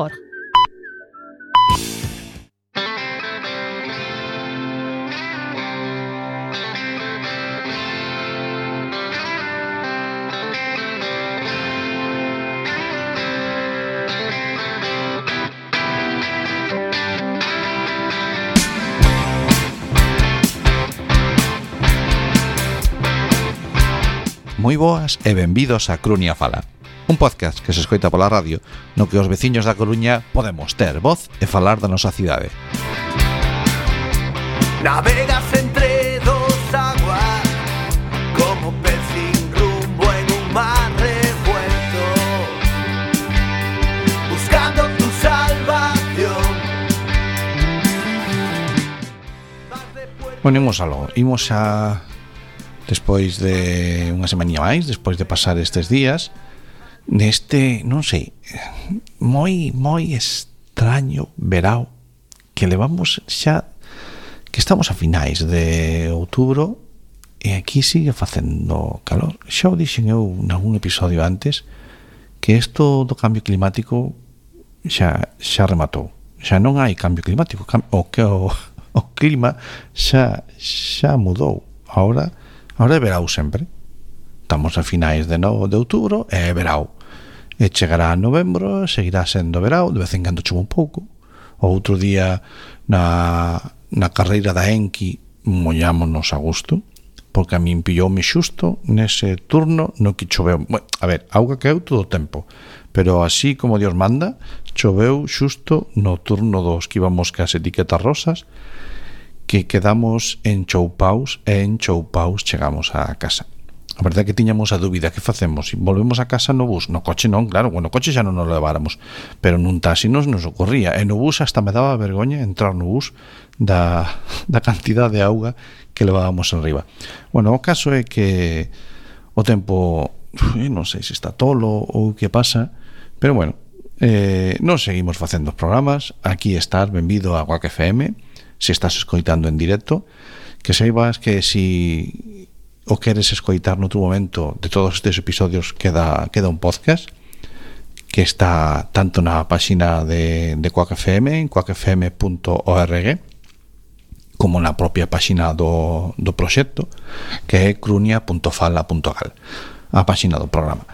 www.radiocomunitaria.org. Moi boas e benvidos a Crunia Fala, un podcast que se escoita pola radio no que os veciños da Coruña podemos ter voz e falar da nosa cidade. Navegas entre dos aguas como pez sin rumbo en un mar revuelto, buscando tu salvación. Bueno, imos a despois de unha semaninha máis, despois de pasar estes días neste, non sei, moi extraño verao que levamos xa, que estamos a finais de outubro e aquí sigue facendo calor. Xa o dixen eu nalgún episodio antes que isto do cambio climático xa rematou, xa non hai cambio climático, o clima xa mudou. Ahora é verao sempre. Estamos a finais de outubro e é verao. E chegará a novembro, seguirá sendo verao, de vez en cando chove un pouco. O outro día na carreira da Enki mollámonos a gusto, porque a min pilloume xusto nese turno no que choveu. Bueno, a ver, auga caeu todo o tempo, pero así como Dios manda, choveu xusto no turno dos que íbamos cas etiquetas rosas, que quedamos enchoupaus e enchoupaus chegamos á casa. A verdade é que tiñamos a dúbida, que facemos? Volvemos a casa no bus? No coche non, claro, bueno, no coche xa non nos leváramos, pero nun taxi nos ocorría, e no bus hasta me daba vergoña entrar no bus da cantidad de auga que levábamos enriba. Bueno, o caso é que o tempo, non sei se está tolo ou que pasa, pero bueno, nos seguimos facendo os programas. Aquí estás, benvido a Guac FM. Se estás escoitando en directo, que saibas que si o queres escoitar noutro momento de todos estes episodios queda un podcast que está tanto na páxina de Quack FM, en quackfm.org, como na propia páxina do proxecto, que é crunia.fala.gal, a páxina do programa.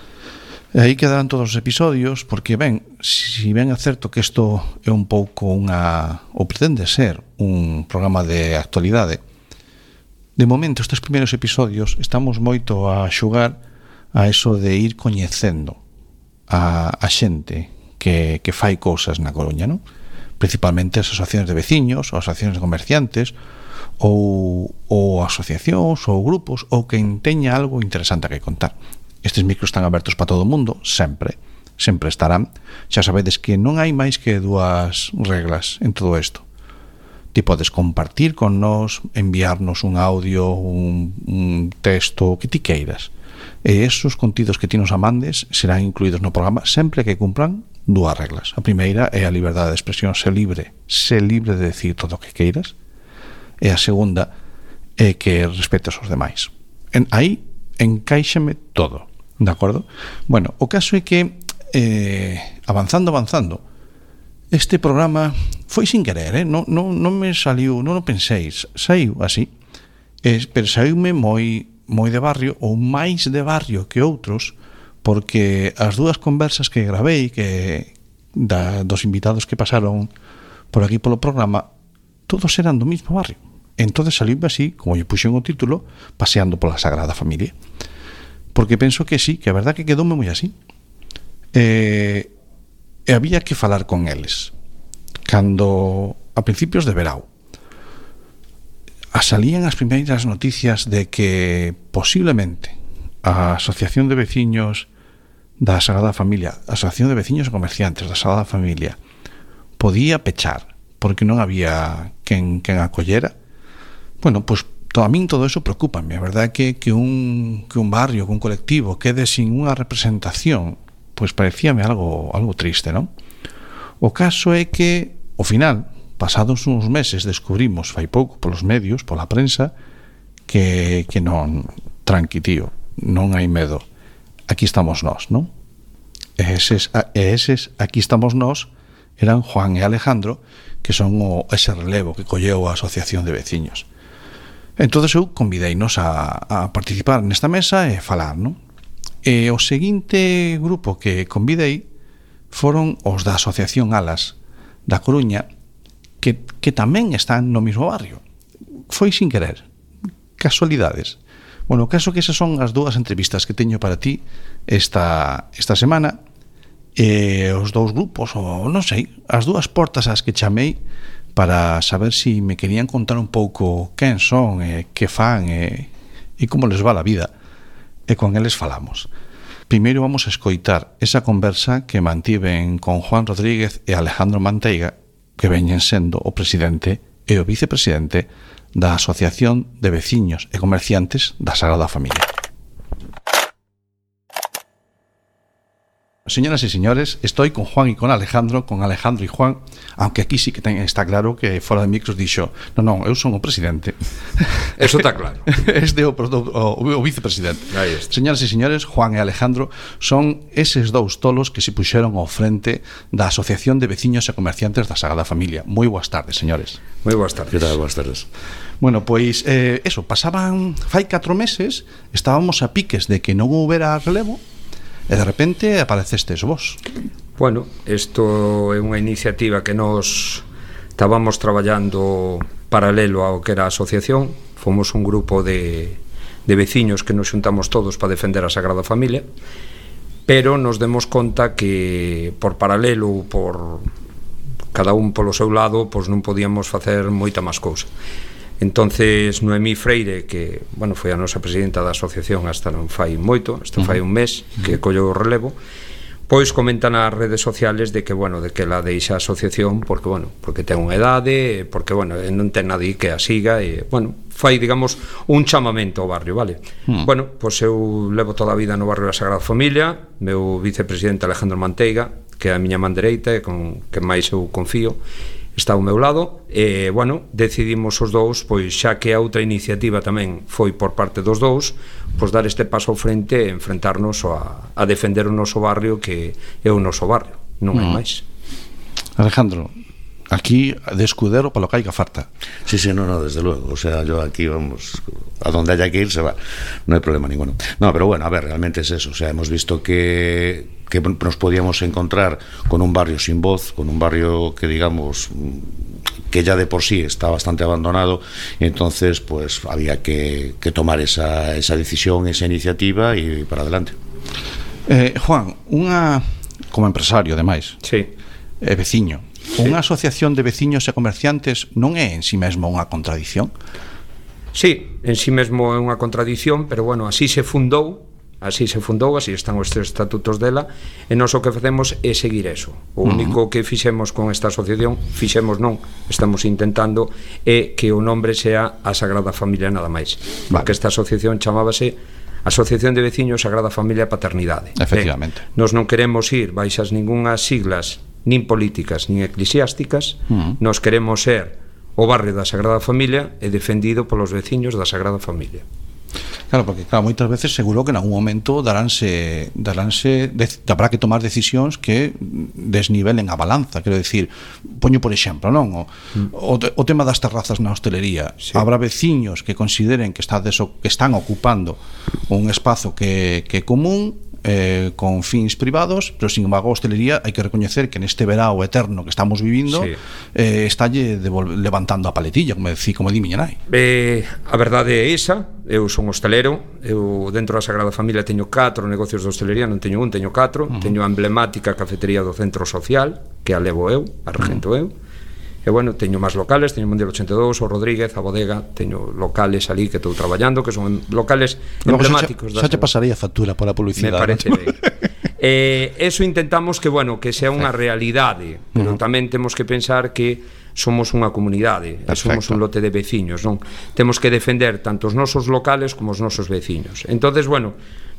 E aí quedarán todos os episodios, porque si ben é certo que isto é un pouco ou pretende ser un programa de actualidade, de momento estes primeiros episodios estamos moito a xugar a eso de ir coñecendo a xente que fai cousas na Coruña, non? Principalmente as asociacións de veciños, ou asociacións de comerciantes, ou asociacións, ou grupos, ou quen teña algo interesante que contar. Estes micros están abertos para todo o mundo, sempre estarán. Xa sabedes que non hai máis que dúas reglas en todo isto. Ti podes compartir con nós, enviarnos un audio, un texto, o que ti queiras. E esos contidos que ti nos amandes serán incluídos no programa sempre que cumpran dúas reglas. A primeira é a liberdade de expresión, ser libre de decir todo o que queiras. E a segunda é que respetes os demais. Aí encaixame todo. De acordo? Bueno, o caso é que avanzando este programa foi sin querer, non me saliu, non o penséis, saiu así, pero saiume moi de barrio, ou máis de barrio que outros, porque as dúas conversas que gravei dos invitados que pasaron por aquí polo programa, todos eran do mismo barrio. Entonces saliume así, como lle puxen o título, Paseando pola Sagrada Familia, porque penso que sí, que a verdad que quedoume moi así. E había que falar con eles cando a principios de verao salían as primeiras noticias de que posiblemente a Asociación de Veciños da Sagrada Familia, a Asociación de Veciños e Comerciantes da Sagrada Familia, podía pechar porque non había quen acollera. Bueno, pois a min todo eso preocúpame. A verdade é que un barrio, que un colectivo quede sin unha representación, pois parecíame algo triste, non? O caso é que, ao final, pasados uns meses, descubrimos fai pouco polos medios, pola prensa, que non, tranqui, tío, non hai medo. Aquí estamos nós, non? E eses aquí estamos nós eran Juan e Alejandro, que son ese relevo que colleu a Asociación de Veciños. Entón eu convideinos a participar nesta mesa e falar, non? E o seguinte grupo que convidei foron os da Asociación Alas da Coruña, que tamén están no mesmo barrio. Foi sin querer, casualidades. Bueno, o caso que esas son as dúas entrevistas que teño para ti esta semana. Os dous grupos, ou non sei, as dúas portas ás que chamei para saber si me querían contar un pouco quen son, que fan e como les va a vida, e con eles falamos. Primeiro vamos a escoitar esa conversa que mantiven con Juan Rodríguez e Alejandro Manteiga, que veñen sendo o presidente e o vicepresidente da Asociación de Veciños e Comerciantes da Sagrada Familia. Señoras y señores, estoy con Juan y con Alejandro y Juan, aunque aquí sí que está claro que fora de micros dixo, non, eu son o presidente. Eso está claro. Este o vicepresidente. Señoras y señores, Juan e Alejandro son eses dous tolos que se puxeron ao frente da Asociación de Veciños e Comerciantes da Sagrada Familia. Moi boas tardes, señores. Moi boas tardes. Que tal? Boas tardes. Bueno, pois, pasaban fai 4 meses, estábamos a piques de que non houbera relevo, e de repente aparecestes vos. Bueno, isto é unha iniciativa que nos estábamos traballando paralelo ao que era a asociación. Fomos un grupo de veciños que nos xuntamos todos para defender a Sagrada Familia, pero nos demos conta que por paralelo, por cada un polo seu lado, pois non podíamos facer moita máis cousa. Entonces Noemí Freire, que foi a nosa presidenta da asociación hasta non fai moito, hasta fai un mes que colleu o relevo, pois comenta nas redes sociales de que ela deixa a asociación porque ten unha idade, porque non ten nadie que a siga e fai, digamos, un chamamento ao barrio, vale? Pois eu levo toda a vida no barrio da Sagrada Familia, meu vicepresidente Alejandro Manteiga, que é a miña man dereita e con que máis eu confío, está ao meu lado e, decidimos os dous, pois xa que a outra iniciativa tamén foi por parte dos dous, pois dar este paso ao frente e enfrentarnos a defender o noso barrio, que é o noso barrio, non hai máis. Alejandro, aquí de escudero para lo que haya falta. Sí, no, desde luego. O sea, yo aquí vamos, a donde haya que ir se va. No hay problema ninguno. No, pero bueno, a ver, realmente es eso. O sea, hemos visto que nos podíamos encontrar con un barrio sin voz, con un barrio que, digamos, que ya de por sí está bastante abandonado, y entonces pues había que tomar esa decisión, esa iniciativa y para adelante. Juan, como empresario, ademais, sí, veciño, unha asociación de veciños e comerciantes non é en si mesmo unha contradición? Sí, en si mesmo é unha contradición, pero así se fundou, así están os estatutos dela, e nós o que facemos é seguir eso. O único que fixemos con esta asociación, estamos intentando, é que o nombre sea a Sagrada Familia nada máis. Porque esta asociación chamábase Asociación de Veciños Sagrada Familia e Paternidade. Efectivamente. Nós non queremos ir baixas ningunhas siglas, nin políticas, nin eclesiásticas. Nós queremos ser o barrio da Sagrada Familia e defendido polos veciños da Sagrada Familia. Claro, porque moitas veces seguro que en algún momento habrá que tomar decisións que desnivelen a balanza. Quero dicir, poño por exemplo, non? O tema das terrazas na hostelería. Sí. Habrá veciños que consideren que están ocupando un espazo que é común, con fins privados, pero sin embargo a hostelería hai que recoñecer que neste verao eterno que estamos vivindo, sí, estalle levantando a paletilla, como di miña nai. A verdade é esa. Eu son hostelero, eu dentro da Sagrada Familia teño 4 negocios de hostelería, non teño un, teño 4. Teño a emblemática cafetería do Centro Social, que a levo eu, a regento eu. E teño máis locales, teño Mundial 82, o Rodríguez, a Bodega, teño locales ali que estou traballando, que son locales emblemáticos. Xa te pasaría factura pola publicidade. Me parece ben. Eso intentamos que sea unha realidade, pero tamén temos que pensar que somos unha comunidade, somos un lote de veciños, non? Temos que defender tanto os nosos locales como os nosos veciños. Entonces,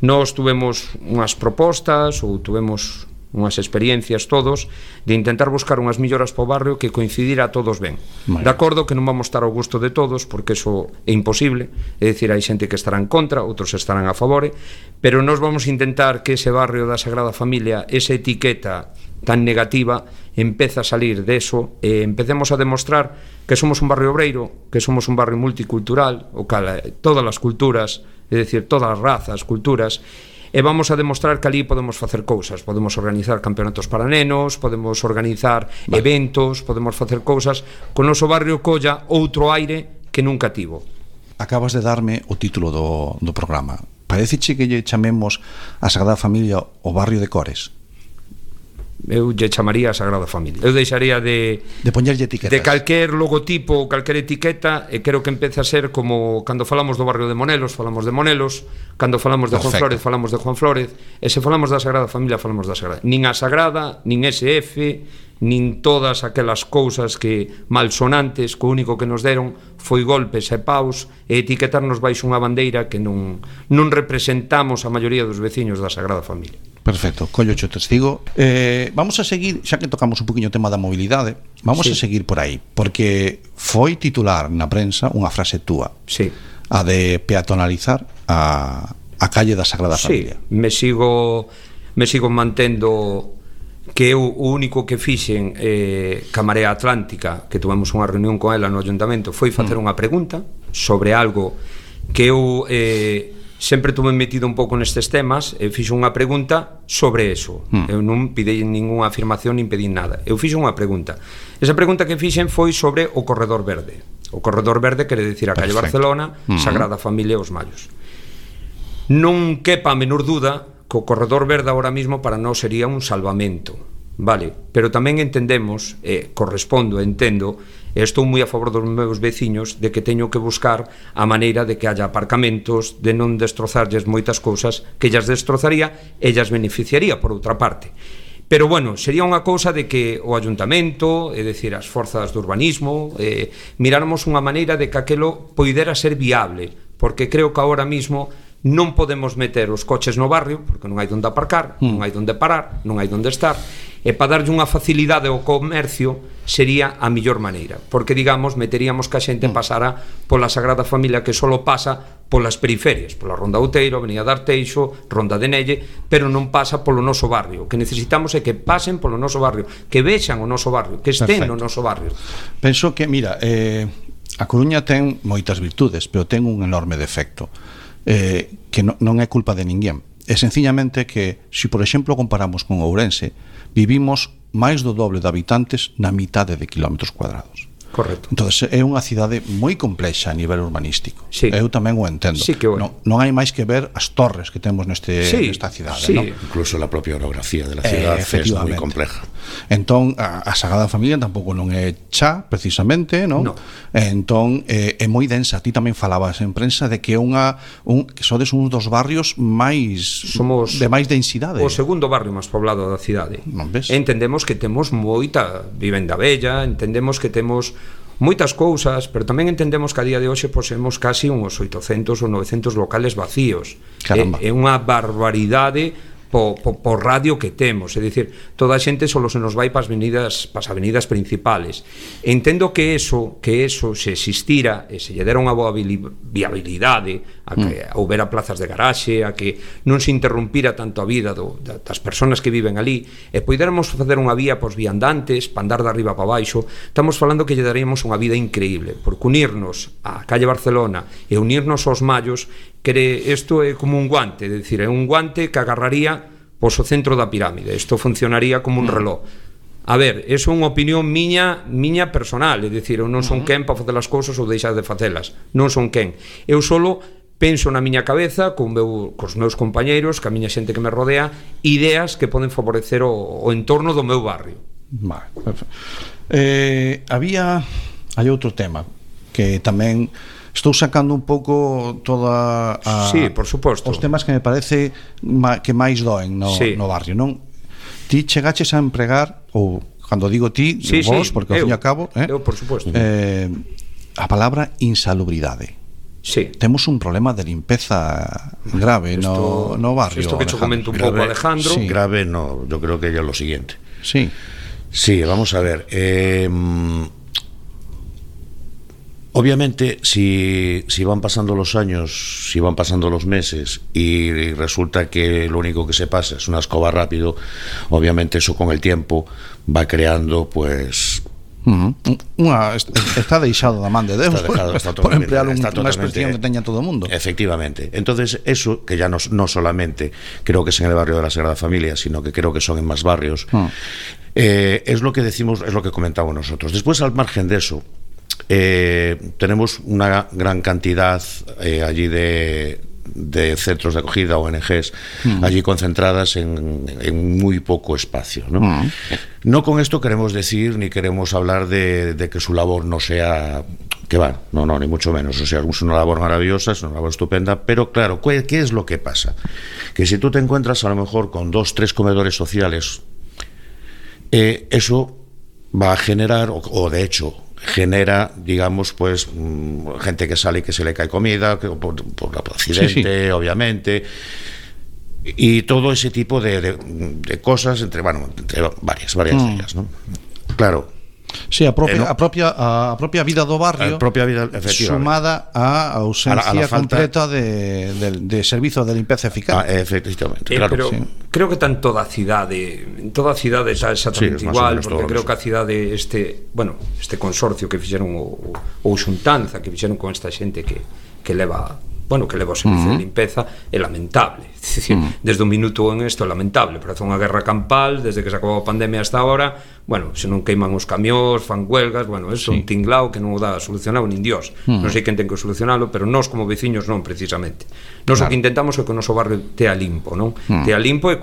nós tuvemos unhas propostas ou tuvemos unhas experiencias todos de intentar buscar unhas melloras para o barrio que coincidira a todos ben. De acordo que non vamos estar ao gusto de todos, porque eso é imposible, é dicir, hai xente que estará en contra, outros estarán a favore, pero nós vamos intentar que ese barrio da Sagrada Familia, esa etiqueta tan negativa empeza a salir deso e empecemos a demostrar que somos un barrio obreiro, que somos un barrio multicultural, o cal todas as culturas, é dicir, todas as razas, culturas, e vamos a demostrar que ali podemos facer cousas, podemos organizar campeonatos para nenos, podemos organizar eventos, podemos facer cousas, con o noso barrio colla outro aire que nunca tivo. Acabas de darme o título do programa. Pareceche que lle chamemos a Sagrada Familia o barrio de Cores? Eu lle chamaría a Sagrada Familia. Eu deixaría de poñerlle etiquetas. De calquer logotipo ou calquer etiqueta, e creo que empeza a ser como cando falamos do barrio de Monelos, falamos de Monelos, cando falamos de Juan Flórez, falamos de Juan Flórez, e se falamos da Sagrada Familia, falamos da Sagrada. Nin a Sagrada, nin SF, nin todas aquelas cousas que malsonantes, que o único que nos deron foi golpes e paus e etiquetarnos baixo unha bandeira que non representamos a maioría dos veciños da Sagrada Familia. Perfecto, collo o testigo. Vamos a seguir, xa que tocamos un poquinho o tema da mobilidade, vamos a seguir por aí, porque foi titular na prensa unha frase túa, a de peatonalizar a calle da Sagrada Familia. Me sigo mantendo que eu o único que fixen ca Marea Atlántica, que tuvemos unha reunión con ela no Ayuntamento, foi facer unha pregunta sobre algo que eu sempre tuve metido un pouco nestes temas, e fixo unha pregunta sobre eso. Eu non pidei ninguna afirmación nin pedín nada, eu fixo unha pregunta. Esa pregunta que fixen foi sobre o Corredor Verde. O Corredor Verde quere dicir a calle Barcelona, Sagrada Familia e os Mallos. Non quepa a menor duda que o Corredor Verde ahora mismo para nós sería un salvamento, vale? Pero tamén entendemos, correspondo, entendo, e estou moi a favor dos meus veciños de que teño que buscar a maneira de que haya aparcamentos, de non destrozarlles moitas cousas que ellas destrozaría e ellas beneficiaría por outra parte. Pero bueno, sería unha cousa de que o Ayuntamento, é dicir, as forzas do urbanismo, miráramos unha maneira de que aquelo poidera ser viable, porque creo que agora mismo non podemos meter os coches no barrio porque non hai onde aparcar, non hai onde parar, non hai onde estar, e para darlle unha facilidade ao comercio sería a mellor maneira, porque digamos meteríamos que a xente pasara pola Sagrada Familia, que só pasa polas periferias, pola Ronda Outeiro, Avenida de Arteixo, Ronda de Nelle, pero non pasa polo noso barrio. O que necesitamos é que pasen polo noso barrio, que vexan o noso barrio, que estén no noso barrio. Penso que, mira, a Coruña ten moitas virtudes, pero ten un enorme defecto, que non é culpa de ninguén. É sencillamente que, se por exemplo comparamos con Ourense, vivimos máis do doble de habitantes na mitade de kilómetros cuadrados. Correcto. Entonces é unha cidade moi complexa a nivel urbanístico. Sí. Eu tamén o entendo. Sí que non hai máis que ver as torres que temos nesta cidade, sí. ¿no? Incluso la propia orografía de la ciudad es moi compleja. Entón a Sagrada Familia tampouco non é cha, precisamente, non? Entón é moi densa. Ti tamén falabas en prensa de que que sodes un dos barrios máis de máis densidade. O segundo barrio máis poblado da cidade. Entendemos que temos moita vivenda bella, entendemos que temos moitas cousas, pero tamén entendemos que a día de hoxe posemos casi uns 800 ou 900 locales vacíos. É unha barbaridade por radio que temos, é dicir, toda a xente só se nos vai pas avenidas principales. Entendo que eso se existira e se lle dera unha boa viabilidade a que houbera plazas de garaxe, a que non se interrumpira tanto a vida das persoas que viven ali, e poidéramos facer unha vía pos viandantes para andar de arriba para baixo. Estamos falando que lle daríamos unha vida increíble, porque unirnos á calle Barcelona e unirnos aos Mallos, que isto é como un guante, é dicir, é un guante que agarraría pois o centro da pirámide. Isto funcionaría como un reloj. A ver, eso é unha opinión miña personal, é dicir, eu non son quen para facer as cousas ou deixar de facelas, non son quen. Eu solo penso na miña cabeza, cos meus compañeiros, ca miña xente que me rodea, ideas que poden favorecer o entorno do meu barrio. Vale, perfecto. Hai outro tema que tamén estou sacando un pouco toda sí, por suposto, os temas que me parece que máis doen no barrio, non? Ti chegaches a empregar, ou cando digo ti, vos, porque ao fin e ao cabo, eu, por suposto, a palabra insalubridade. Sí. Temos un problema de limpeza grave no barrio. Isto que te comento un pouco, Alejandro. Sí. Grave no, yo creo que ya es lo siguiente. Sí. Sí, vamos a ver. Obviamente, si van pasando los años, si van pasando los meses y resulta que lo único que se pasa es una escoba rápido, obviamente eso con el tiempo va creando, pues... Está deixado da man de Deus, por emplear unha expresión que teña todo o mundo. Efectivamente. Entonces, eso, que ya no solamente creo que es en el barrio de la Sagrada Familia, sino que creo que son en más barrios, es lo que decimos, es lo que comentamos nosotros. Después, al margen de eso, tenemos una gran cantidad allí de centros de acogida, ONGs, allí concentradas en muy poco espacio, ¿no? No con esto queremos decir ni queremos hablar de que su labor no sea, que va, no, ni mucho menos, o sea, es una labor maravillosa, es una labor estupenda, pero claro, ¿qué es lo que pasa? Que si tú te encuentras a lo mejor con 2, 3 comedores sociales, eso va a generar, o de hecho genera, digamos, pues gente que sale y que se le cae comida por accidente, obviamente, y todo ese tipo de cosas entre varias de ellas, ¿no? Claro. Sí, a propia vida do barrio, sumada á ausencia completa de servizo de limpeza eficaz. Efectivamente, claro. Pero creo que está en toda a cidade está exactamente igual, porque creo que a cidade este consorcio que fixeron ou xuntanza que fixeron con esta xente que leva o servicio de limpeza é lamentable. É dicir, desde un minuto en isto é lamentable, parece unha guerra campal desde que se acabou a pandemia hasta ahora. Se non queiman os camións, fan huelgas, é un tinglao que non o dá solucionado nin Dios. Non sei quen ten que solucionalo, pero nós como veciños non, precisamente. Nós o que intentamos é que o noso barrio tea limpo, non? Tea limpo e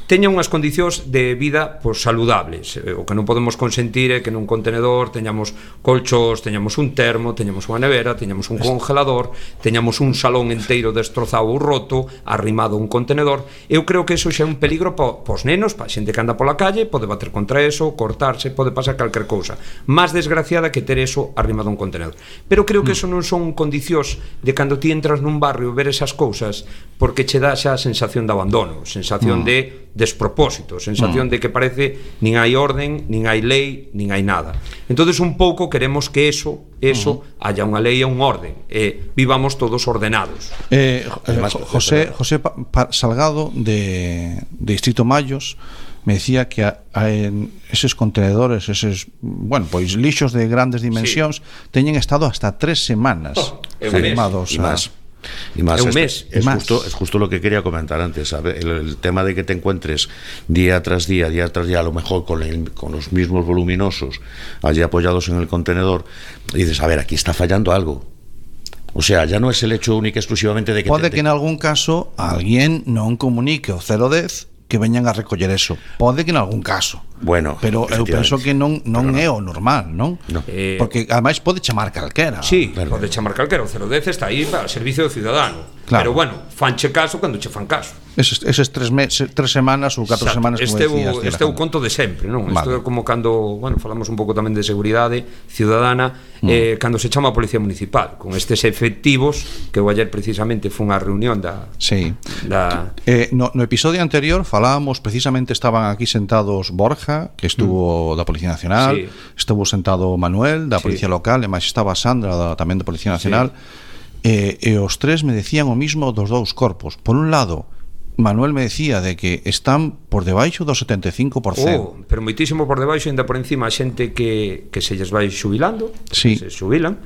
teña unhas condicións de vida saludables. O que non podemos consentir é que nun contenedor teñamos colchos, teñamos un termo, teñamos unha nevera, teñamos un congelador, teñamos un salón enteiro destrozado ou roto, arrimado a un contenedor. Eu creo que eso xa é un peligro pos nenos, pa xente que anda pola calle, pode bater contra eso, cortarse, pode pasar calquer cousa. Máis desgraciada que ter eso arrimado a un contenedor. Pero creo que eso non son condicións de cando ti entras nun barrio ver esas cousas, porque che dá xa a sensación de abandono, sensación de despropósito, sensación de que parece nin hai orden, nin hai lei, nin hai nada. Entonces un pouco queremos que eso haya unha lei e un orden, vivamos todos ordenados. José Salgado de Distrito Mayos me decía que en eses contenedores, eses, lixos de grandes dimensións, teñen estado hasta 3 semanas firmados y más es justo lo que quería comentar antes, ¿sabe? El tema de que te encuentres día tras día, a lo mejor con los mismos voluminosos allí apoyados en el contenedor, y dices, a ver, aquí está fallando algo. O sea, ya no es el hecho único exclusivamente de que pode que en algún caso alguén non comunique o 010 que veñan a recoller eso. Pode que en algún caso. Pero eu penso que non é o normal, non? Porque ademais pode chamar calquera. Sí, pode chamar calquera. O 010 está aí para o servicio do cidadano. Pero fanche caso cando che fan caso. Eses 3 semanas ou 4 semanas, como decías. Este é o conto de sempre, non? Isto é como cando, falamos un pouco tamén de seguridade ciudadana, cando se chama a Policía Municipal, con estes efectivos, que eu ayer precisamente foi unha reunión no episodio anterior falábamos, precisamente estaban aquí sentados Borja, que estuvo da Policía Nacional, estuvo sentado Manuel da Policía Local, e máis estaba Sandra tamén da Policía Nacional, e os 3 me decían o mismo dos 2 corpos. Por un lado, Manuel me decía de que están por debaixo do 75%. Pero moitísimo por debaixo, ainda por encima a xente que se lles vai xubilando, se xubilan,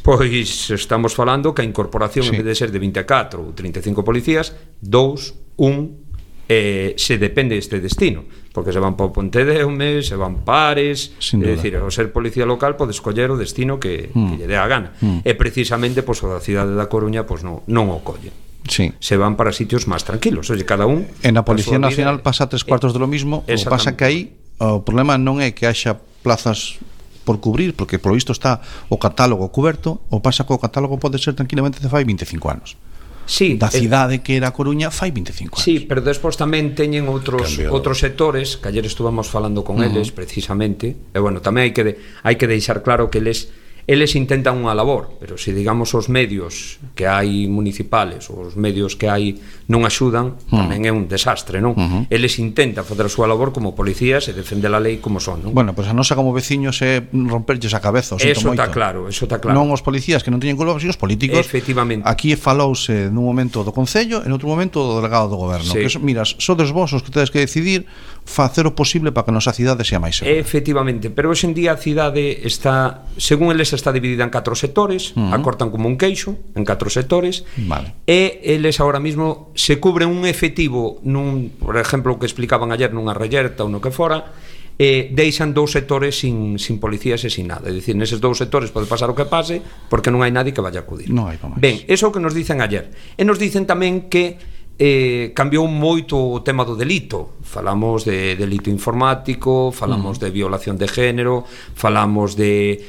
pois estamos falando que a incorporación en vez de ser de 24 ou 35 policías, 2, 1 se depende deste destino, porque se van para o Pontedeume, se van Pares, é dicir, ao ser policía local pode escoller o destino que lle dé a gana, e precisamente o da cidade da Coruña non o colle. Se van para sitios máis tranquilos, cada un. En a Policía Nacional pasa 3/4 de lo mismo. O pasa que aí o problema non é que haxa plazas por cubrir, porque por lo visto está o catálogo cuberto. O pasa que o catálogo pode ser tranquilamente de fai 25 anos. Da cidade que era a Coruña fai 25 anos. Sí, pero despois tamén teñen outros sectores que ayer estuvamos falando con eles precisamente, e tamén hai que deixar claro que eles eles intentan unha labor, pero se digamos os medios que hai municipales ou os medios que hai non axudan, tamén é un desastre, non? Eles intentan fazer a súa labor como policías e defender a lei como son, non? Bueno, pois a nosa como veciños é romperlles a cabeza, o sinto Eso moito. está claro, eso está claro. Non os policías que non teñen culpa, sino os políticos. Efectivamente. Aquí falouse nun momento do Concello e noutro momento do delegado do Goberno. Sí. Que mira, sodes vos os que tedes que decidir facer o posible para que a nosa cidade sea máis segura. Efectivamente, pero hoxe en día a cidade está, según eles, está dividida en 4 sectores, acortan como un queixo en 4 sectores, Vale. e eles ahora mismo se cubren un efectivo nun, por exemplo, o que explicaban ayer nunha reyerta ou no que fora, deixan 2 sectores sin policías e sin nada, é dicir, neses 2 sectores pode pasar o que pase porque non hai nadie que vaya a acudir. Non hai pa máis. Ben, eso é o que nos dicen ayer, e nos dicen tamén que cambiou moito o tema do delito. Falamos de delito informático, falamos de violación de género, falamos de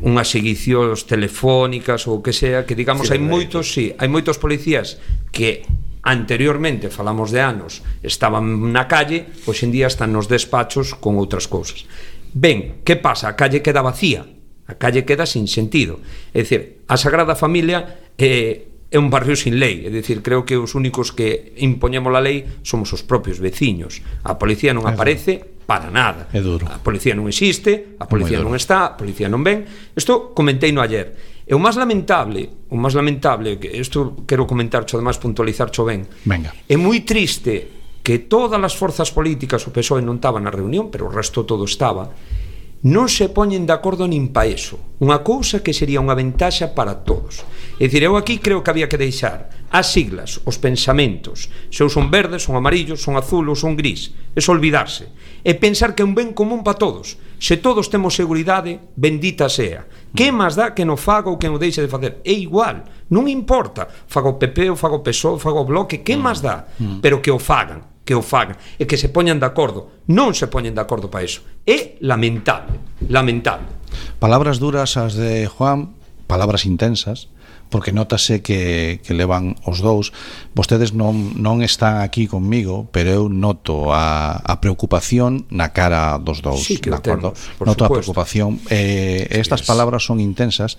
unhas seguicións telefónicas ou o que sea, que digamos hai moitos, sí, hai moitos policías que anteriormente, falamos de anos, estaban na calle, pois en día están nos despachos con outras cousas. Ben, que pasa? A calle queda vacía, a calle queda sin sentido. É dicir, a Sagrada Familia é un barrio sin lei, é dicir, creo que os únicos que impoñemos a lei somos os propios veciños. A policía non aparece para nada. É duro. A policía non existe, a policía non está, a policía non ven. Isto comentei no ayer. E o máis lamentable, que isto quero comentar, además puntualizar ben. Venga. É moi triste que todas as forzas políticas, o PSOE non estaba na reunión, pero o resto todo estaba, non se poñen de acordo nin pa eso, unha cousa que sería unha ventaxa para todos. É dicir, eu aquí creo que había que deixar as siglas, os pensamentos, se eu son verdes, son amarillos, son azul ou son gris, é olvidarse, e pensar que é un ben común para todos. Se todos temos seguridade, bendita sea. Que máis dá que non faga ou que non deixe de facer? É igual, non importa, faga o PP ou faga o PSOE, faga o Bloque, que máis dá? Pero que o fagan, e que se poñan de acordo. Non se poñen de acordo para iso. É lamentable. Palabras duras as de Juan, palabras intensas, porque notase que levan os dous. Vostedes non están aquí conmigo, pero eu noto a preocupación na cara dos dous, sí, que de acordo? temos, Noto supuesto. a preocupación. Estas palabras son intensas.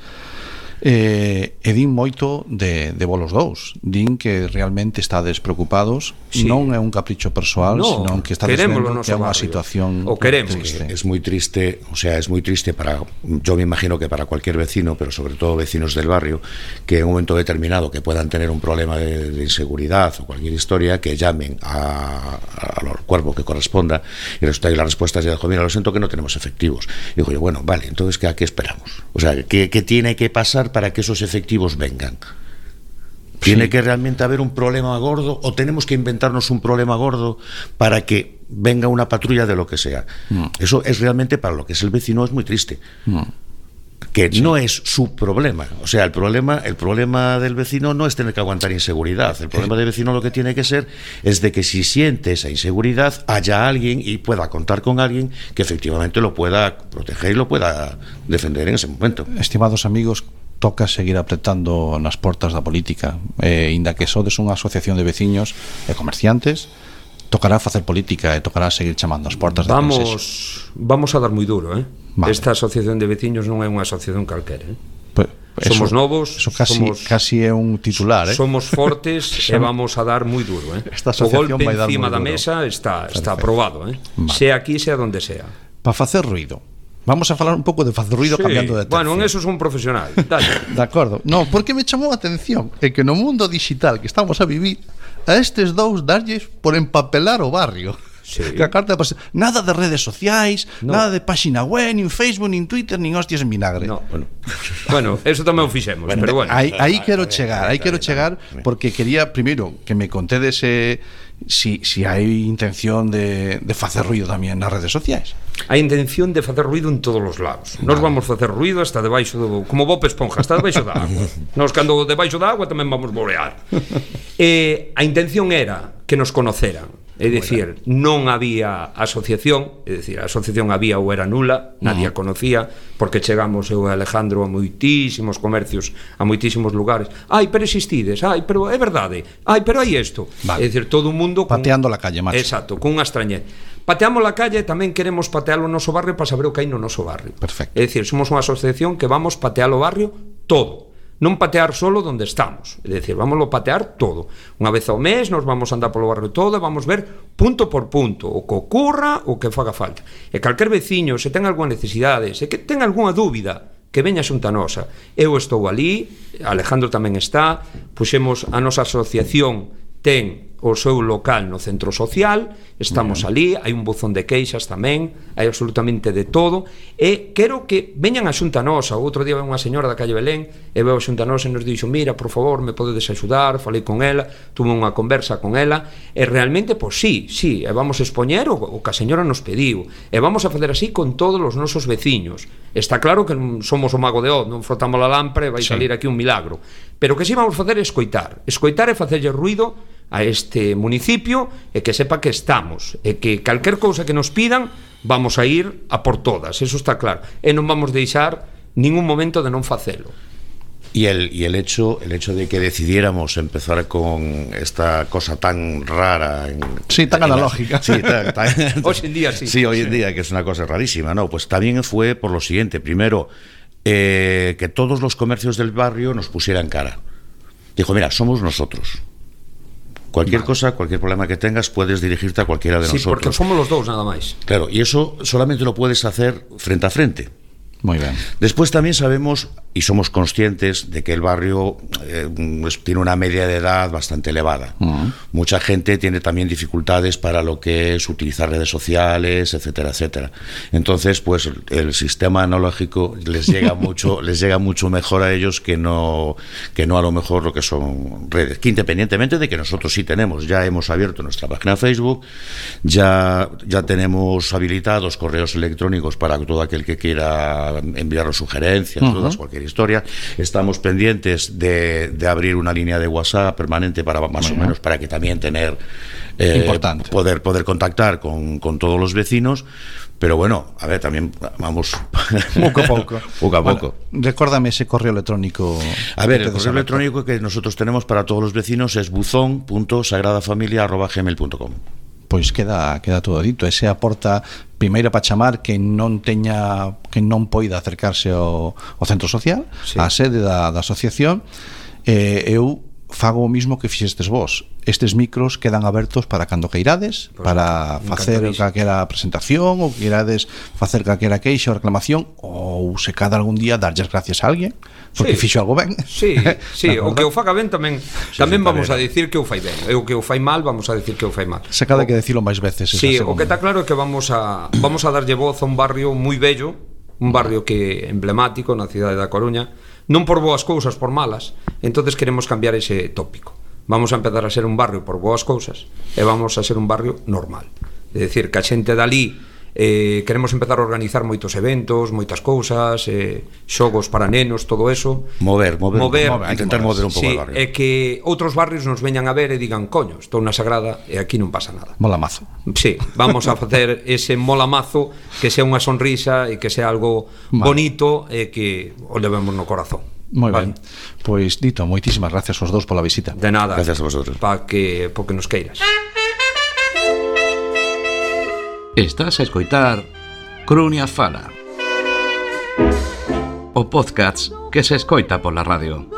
E din moito de vos os dous. Din que realmente estades preocupados, sí. Non é un capricho persoal, no, senón que estades vendo que é unha barrio. situación o queremos. triste. Es muy triste, o sea, es muy triste para, yo me imagino que para cualquier vecino, pero sobre todo vecinos del barrio, que en un momento determinado que puedan tener un problema de inseguridad o cualquier historia, que llamen al cuerpo que corresponda y resulta que la respuesta es de, mira, lo siento que no tenemos efectivos. Y digo yo, bueno, vale, entonces ¿a qué esperamos? O sea, ¿qué tiene que pasar para que esos efectivos vengan? ¿Tiene que realmente haber un problema gordo o tenemos que inventarnos un problema gordo para que venga una patrulla de lo que sea? Eso es realmente, para lo que es el vecino, es muy triste. Que no es su problema. O sea, el problema del vecino no es tener que aguantar inseguridad. El problema del vecino lo que tiene que ser es de que si siente esa inseguridad haya alguien y pueda contar con alguien que efectivamente lo pueda proteger y lo pueda defender en ese momento. Estimados amigos, toca seguir apretando nas portas da política, inda que sodes unha asociación de veciños e comerciantes, tocará facer política e tocará seguir chamando as portas da Consello. Vamos a dar moi duro, Vale. Esta asociación de veciños non é unha asociación calquera, Somos somos novos, eso casi é un titular, somos fortes e vamos a dar moi duro, Esta o golpe asociación vai dar encima moi da duro. mesa está aprobado, Vale. sea aquí, sea donde sea. Para facer ruido. Vamos a falar un pouco de facer ruido, Sí, cambiando de tercio. bueno, en eso son un profesional. Dale. De acordo. No, porque me chamou a atención é que no mundo digital que estamos a vivir, a estes dous darlles por empapelar o barrio. Sí. Que a carta de nada de redes sociais, No. nada de páxina web, nin Facebook, nin Twitter, nin hostias en vinagre. No, bueno, eso tamén o fixemos, pero bueno. Aí quero chegar, porque quería primeiro que me contedes si hai intención de facer ruido tamén nas redes sociais. A intención de facer ruido en todos os lados. Nos vamos facer ruido hasta debaixo do, como Bob Esponja, hasta debaixo da agua. Nos cando debaixo da agua tamén vamos borear. A intención era que nos conoceran. É dicir, non había asociación, é dicir, a asociación había ou era nula, nadie a conocía, porque chegamos eu e Alejandro a moitísimos comercios, a moitísimos lugares. Ai, pero existides, ai, pero é verdade, ai, pero hai isto. Vale. É dicir, todo o mundo pateando la calle, macho. Exacto, con unha extrañeza. Pateamos la calle, tamén queremos patear o noso barrio para saber o que hai no noso barrio. Perfecto. É dicir, somos unha asociación que vamos patear o barrio todo. Non patear solo donde estamos, é dicir, vámoslo patear todo. Unha vez ao mes nos vamos a andar polo barrio todo e vamos ver punto por punto o que ocurra, o que faga falta. E calquer veciño, se ten algunha necesidade, se que ten algunha dúbida, que veña xunta nosa. Eu estou ali, Alejandro tamén está, puxemos a nosa asociación, ten o seu local no centro social, estamos ali, hai un buzón de queixas tamén, hai absolutamente de todo, e quero que veñan a xunta nosa. Outro día unha señora da calle Belén e veo a xunta nosa e nos dixo, mira, por favor, me podedes axudar, falei con ela, tuve unha conversa con ela, e realmente, pois sí, e vamos a expoñer o que a señora nos pediu, e vamos a facer así con todos os nosos veciños. Está claro que non somos o mago de Oz, non frotamos a lámpara e vai salir aquí un milagro, pero que sí vamos facer é escoitar e facerlle ruido a este municipio e que sepa que estamos e que calquer cousa que nos pidan vamos a ir a por todas, eso está claro, e non vamos deixar ningún momento de non facelo. Y el hecho de que decidiéramos empezar con esta cosa tan rara tan analógica. Hoy en día sí. Sí, hoy en día, que es una cosa rarísima, ¿no? Pues también fue por lo siguiente. Primero, que todos los comercios del barrio nos pusieran cara. Dijo, mira, somos nosotros. Cualquier cosa, cualquier problema que tengas, puedes dirigirte a cualquiera de nosotros. Sí, porque somos los dos nada más. Claro, y eso solamente lo puedes hacer frente a frente. Muy bien. Después también sabemos y somos conscientes de que el barrio tiene una media de edad bastante elevada. Mucha gente tiene también dificultades para lo que es utilizar redes sociales, etcétera, etcétera. Entonces, pues el sistema analógico les llega mucho mejor a ellos que no a lo mejor lo que son redes. Que independientemente de que nosotros sí tenemos, ya hemos abierto nuestra página de Facebook, ya tenemos habilitados correos electrónicos para todo aquel que quiera enviarnos sugerencias, dudas, cualquier historia. Estamos pendientes de abrir una línea de WhatsApp permanente para más o menos para que también tener poder contactar con todos los vecinos. Pero bueno, a ver, también vamos poco a poco. Poco a poco. Recuérdame ese correo electrónico. A ver, el correo electrónico que nosotros tenemos para todos los vecinos es buzón.sagradafamilia@gmail.com. Pois queda todo dito. Ese aporta primeiro para chamar que non poida acercarse ao centro social, á sede da asociación. Eu fago o mismo que fixestes vos. Estes micros quedan abertos para cando queirades, para facer calquera presentación, ou queirades facer calquera queixa ou reclamación, ou se cada algún día darlles gracias a alguén porque fixo algo ben. Sí, o que o faga ben tamén vamos a dicir que o fai ben, e o que o fai mal vamos a dicir que o fai mal. Se cada que decirlo máis veces. Sí, o que está claro é que vamos a darlle voz a un barrio moi bello, un barrio que é emblemático na cidade da Coruña, non por boas cousas, por malas. Entonces queremos cambiar ese tópico. Vamos a empezar a ser un barrio por boas cousas e vamos a ser un barrio normal. É dicir, que a xente dali queremos empezar a organizar moitos eventos, moitas cousas, xogos para nenos, todo eso. Mover, intentar mover un pouco o barrio. E que outros barrios nos veñan a ver e digan, coño, estou na Sagrada e aquí non pasa nada. Mola mazo. Sí, vamos a facer ese mola mazo, que sea unha sonrisa e que sea algo bonito e que o levemos no corazón. Moi ben. Pois dito, moitísimas gracias aos dous pola visita. De nada. Gracias a vosotros. Porque nos queiras. Estás a escoitar Cruña Fala, o podcast que se escoita pola radio.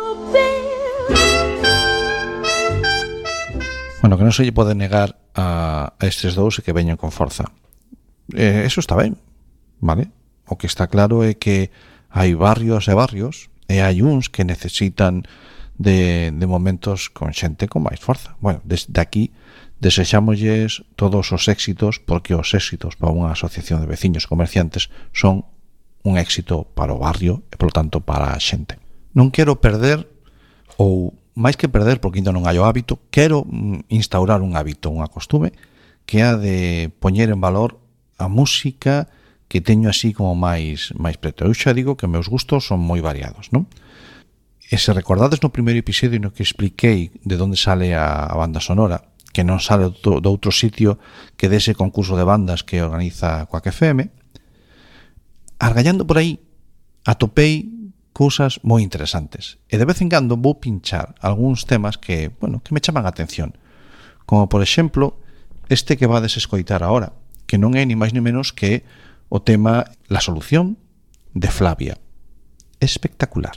Bueno, que non se lle pode negar a estes dous e que veñen con forza. Eso está ben, vale? O que está claro é que hai barrios e barrios e hai uns que necesitan de momentos con xente con máis forza. Bueno, desde aquí desexámosles todos os éxitos, porque os éxitos para unha asociación de veciños comerciantes son un éxito para o barrio e, polo tanto, para a xente. Non quero perder, ou máis que perder, porque ainda non hai o hábito, quero instaurar un hábito, unha costume, que é de poñer en valor a música que teño así como máis preto. Eu xa digo que meus gustos son moi variados, non? E se recordades no primeiro episodio no que expliquei de onde sale a banda sonora, que non sale do outro sitio que dese concurso de bandas que organiza Quack FM. Argallando por aí, atopei cousas moi interesantes. E de vez en cando vou pinchar algúns temas que me chaman a atención. Como, por exemplo, este que vades escoitar ahora, que non é ni máis ni menos que o tema La Solución, de Flavia. Espectacular.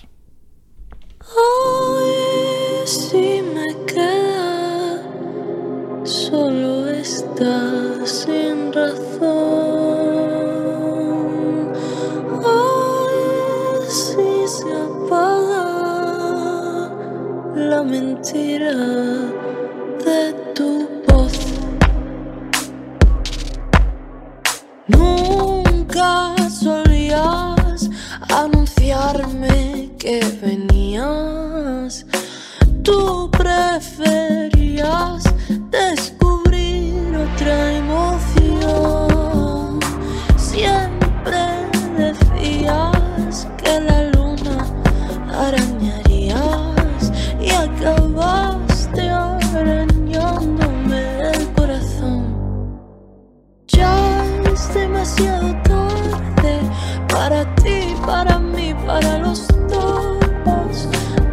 Hoy si me queda solo esta sin razón. Hoy si se apaga la mentira de tu voz. Nunca solías anunciarme que venías. Tú preferías descubrir otra emoción. Siempre decías que la luna arañarías y acabaste arañándome el corazón. Ya es demasiado tarde para ti, para mí, para los dos.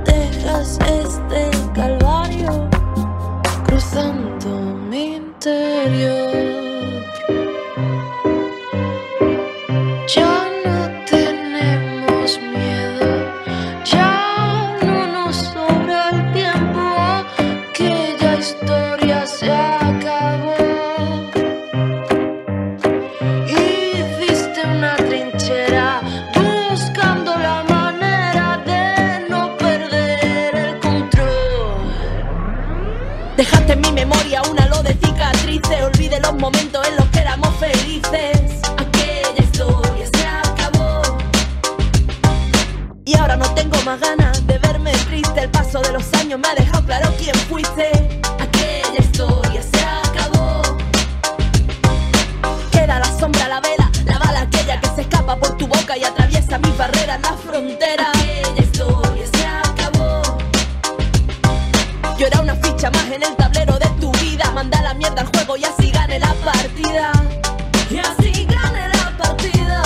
Dejas este calvario cruzando mi interior. Ya no tenemos miedo, ya no nos sobra el tiempo, aquella historia se acabó. Hiciste una trinchera buscando la manera de no perder el control. Dejaste en mi memoria un halo de cicatrices, olvidé los momentos en los que éramos felices. Aquella historia se acabó y ahora no tengo más ganas de verme triste. El paso de los años me ha dejado claro quién fuiste. Aquella historia se acabó. Queda la sombra, la vela, la bala aquella que se escapa por tu boca y atraviesa mis barreras, la frontera. Aquella historia se acabó. Yo era una ficha más en el tablero de tu vida. Manda la mierda al juego y así gane la partida. Y así gane la partida.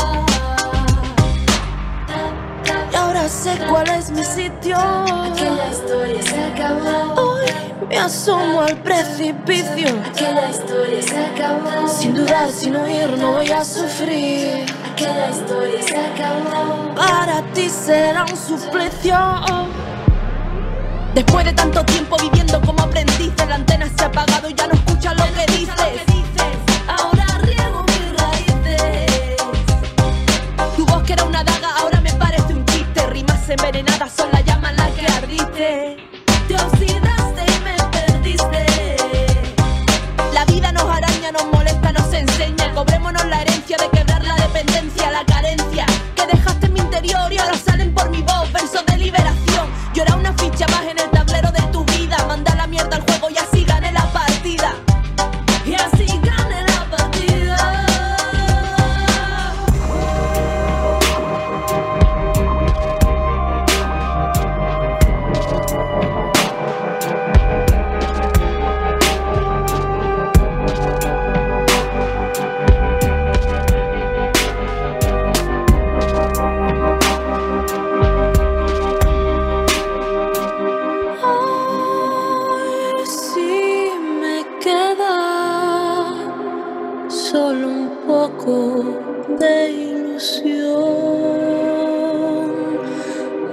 Y ahora sé cuál es mi sitio. Aquella historia se acabó. Hoy me asomo al precipicio. Aquella historia se acabó. Sin dudar, sin oír, no voy a sufrir. Aquella historia se acabó. Para ti será un suplicio. Después de tanto tiempo viviendo como aprendiz, la antena se ha apagado y ya no escuchas lo que dices. Ahora riego mis raíces. Tu voz que era una daga ahora me parece un chiste. Rimas envenenadas son la llama en la que ardiste. Te oxidaste y me perdiste. La vida nos araña, nos molesta, nos enseña. Cobrémonos la herencia de quebrar la dependencia, la carencia que dejaste en mi interior y ahora salen por mi voz versos de liberación. Yo era una ficha más en el tablero de tu vida. Manda la mierda al juego y así gane la partida. Y así gane la partida. Ay, si me queda solo un poco de ilusión.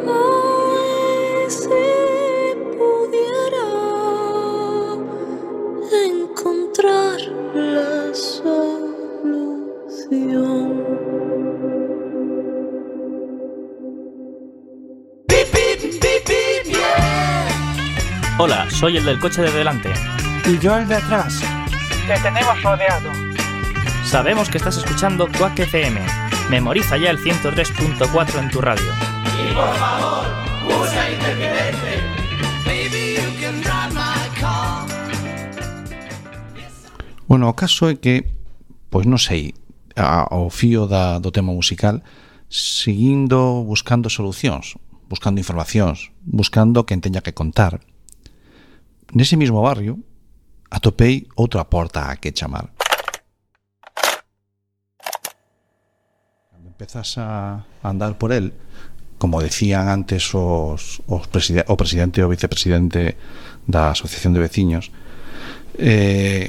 Ay, si pudiera encontrar la solución. Hola, soy el del coche de delante. Y yo el de atrás. Te tenemos rodeado. Sabemos que estás escuchando Quack FM. Memoriza ya el 103.4 en tu radio. Y por favor, usa intermitente. Bueno, o caso é que, pois non sei, ao fío do tema musical, seguindo buscando solucións, buscando informacións, buscando quen teña que contar. Nese mismo barrio atopei outra porta a que chamar. Cando empezas a andar por el, como decían antes o presidente e o vicepresidente da Asociación de Veciños,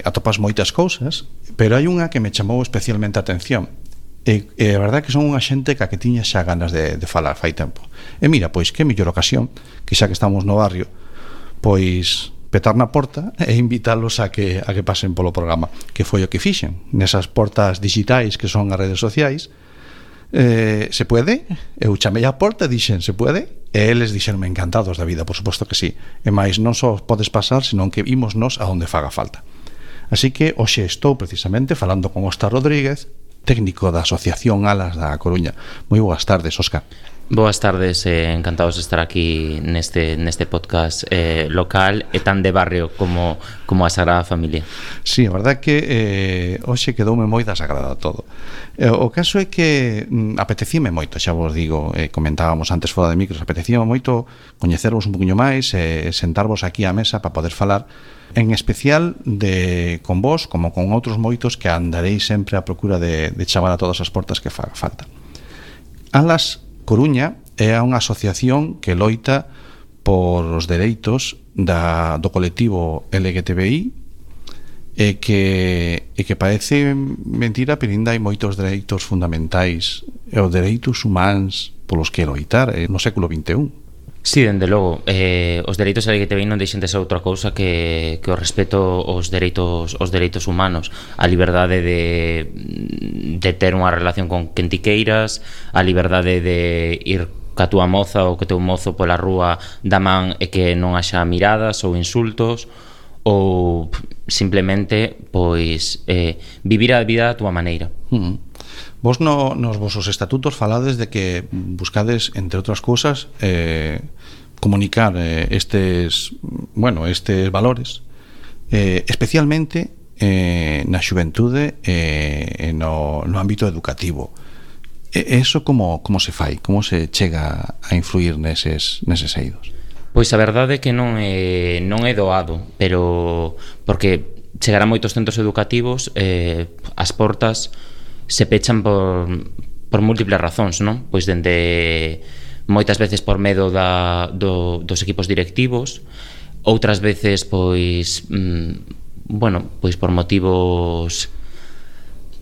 atopas moitas cousas, pero hai unha que me chamou especialmente a atención. E a verdade que son unha xente que tiña xa ganas de falar fai tempo. E mira, pois que mellor ocasión que xa que estamos no barrio, pois petar na porta e invítalos a que pasen polo programa, que foi o que fixen nesas portas digitais que son as redes sociais. Se puede? Eu chamei a porta e dixen, se puede? E eles dixeronme encantados da vida, por suposto que sí. E máis non só podes pasar, senón que imos nos a onde faga falta. Así que hoxe estou precisamente falando con Óscar Rodríguez, técnico da Asociación Alas da Coruña. Moi boas tardes, Óscar. Boas tardes, encantados de estar aquí neste podcast local e tan de barrio como a Sagrada Familia. Sí, a verdade que hoxe quedoume moi desagrada todo. O caso é que apetecíme moito, xa vos digo, comentábamos antes fora de micros, apetecíme moito coñecervos un poquinho máis e sentarvos aquí á mesa para poder falar, en especial con vos, como con outros moitos que andaréis sempre a procura de chamar a todas as portas que faga falta. Alas Coruña é unha asociación que loita por os dereitos do colectivo LGTBI e que parece mentira, pero ainda hai moitos dereitos fundamentais e os dereitos humanos polos que loitar no século XXI. Sí, dende logo, os dereitos LGTBI non deixen de ser outra cousa que o respeto aos dereitos humanos, a liberdade de ter unha relación con quen ti queiras, a liberdade de ir ca túa moza ou co teu mozo pola rúa da man e que non haxa miradas ou insultos, ou simplemente pois vivir a vida da túa maneira. Vos nos vosos estatutos falades de que buscades, entre outras cousas, comunicar estes valores, especialmente na xuventude e no ámbito educativo. Eso como se fai? Como se chega a influir neses eidos? Pois a verdade é que non é doado, pero porque chegar a moitos centros educativos, as portas se pechan por múltiples razóns, non? Pois dende moitas veces por medo dos equipos directivos, outras veces pois por motivos,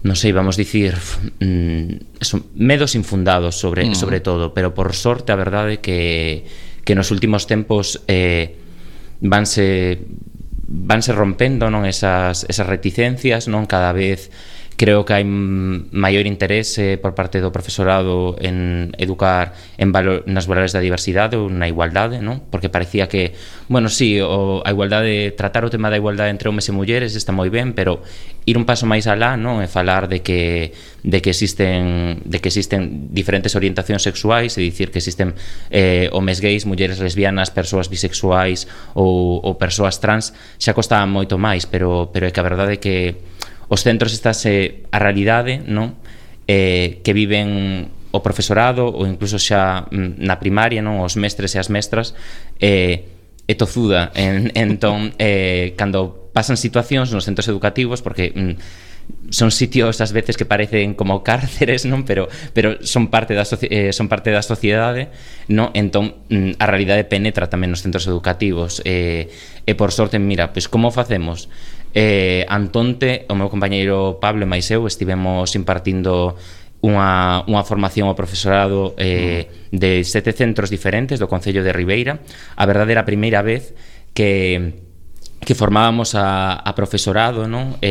non sei, vamos dicir, medos infundados sobre todo, pero por sorte a verdade que nos últimos tempos vanse rompendo, non, esas reticencias, non, cada vez creo que hai maior interese por parte do profesorado en educar nas valores da diversidade ou na igualdade, non? Porque parecía que, sí, a igualdade, tratar o tema da igualdade entre homes e mulleres está moi ben, pero ir un paso máis alá, non? E falar de que existen diferentes orientacións sexuais, e dicir que existen homes gays, mulleres lesbianas, persoas bisexuais ou persoas trans, xa costaba moito máis, pero é que a verdade é que os centros estase a realidade, non? Que viven o profesorado ou incluso xa na primaria, non? Os mestres e as mestras é tozuda. Entón, cando pasan situacións nos centros educativos, porque son sitios ás veces que parecen como cárceres, non? Pero son parte da sociedade, non? Entón, a realidade penetra tamén nos centros educativos. E por sorte, mira, pois como facemos? Antonte, o meu compañeiro Pablo e máis eu estivemos impartindo unha formación ao profesorado de 7 centros diferentes do Concello de Ribeira. A verdade era a primeira vez que formábamos a profesorado, non?